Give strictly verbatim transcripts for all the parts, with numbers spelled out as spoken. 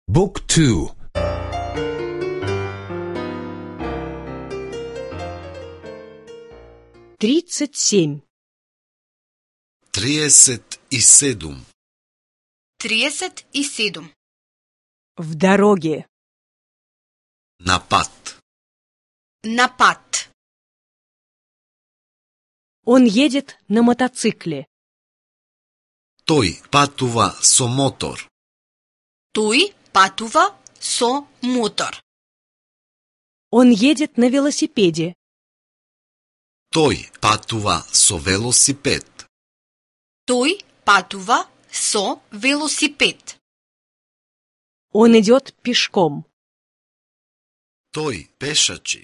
Book two. Тридцать семь. Триесет и седум. Триесет и седум. В дороге. На пат. На пат. Он едет на мотоцикле. Тој патува со мотор. Тој патува со мотор. Он едет на велосипеде. Тој патува со велосипед. Тој патува со велосипед. Он идет пешком. Тој пешачи.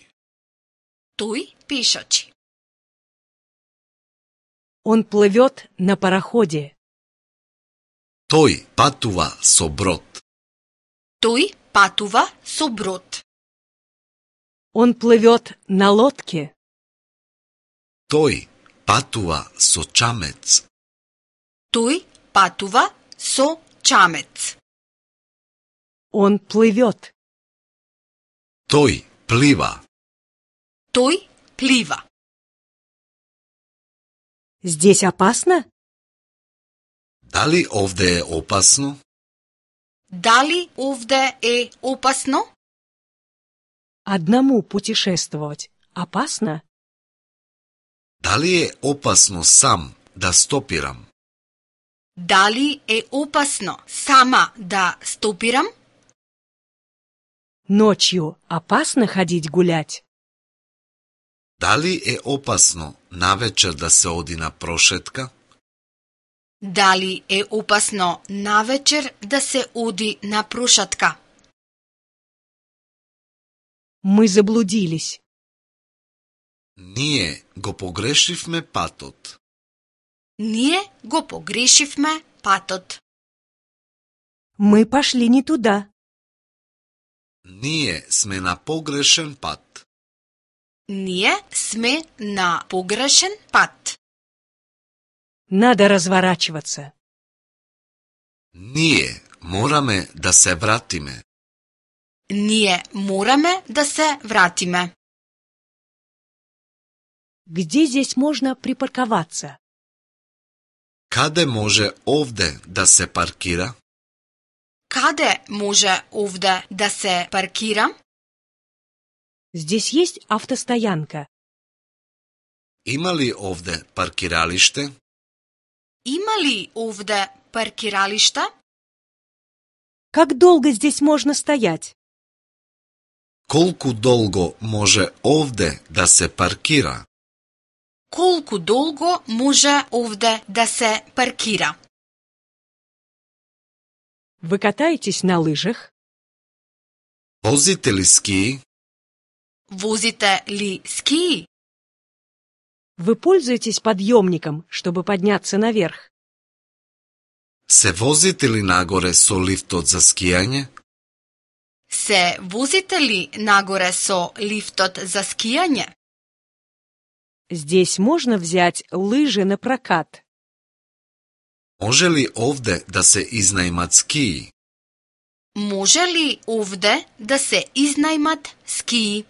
Тој пешачи. Он плывет на пароходе. Тој патува со брод. Тој патува со брод. Он плывет на лодке. Тој патува со чамец. Тој патува со чамец. Он плывет. Тој плива. Тој плива. Здесь опасно? Дали овде е опасно? Дали овде е опасно? Одному путешествовать опасно? Дали е опасно сам да стопирам? Дали е опасно сама да стопирам? Ночью опасно ходить гулять? Дали е опасно навечер да се оди на прошетка? Дали е опасно навечер да се оди на прошатка? Мы заблудились. Ние го погрешивме патот. Ние го погрешивме патот. Мы пошли не туда. Ние сме на погрешен пат. Ние сме на погрешен пат. Надо разворачиваться. Ние мораме да се вратиме. Ние мораме да се вратиме. Где здесь можно припарковаться? Каде може овде да се паркира? Каде може овде да се паркира? Здесь есть автостоянка. Има ли овде паркиралиште? Има ли овде паркиралишта? Как долго здесь можно стоять? Колку долго може овде да се паркира? Колку долго може овде да се паркира? Вы катаетесь на лыжах? Возите ли скии? Возите ли скии? Вы пользуетесь подъемником, чтобы подняться наверх? Се возите ли нагоре со лифтот за скијање? Се возите ли нагоре со лифтот за скијање? Здесь можно взять лыжи на прокат. Може ли овде да се изнајмат скии? Може ли овде да се изнајмат скии?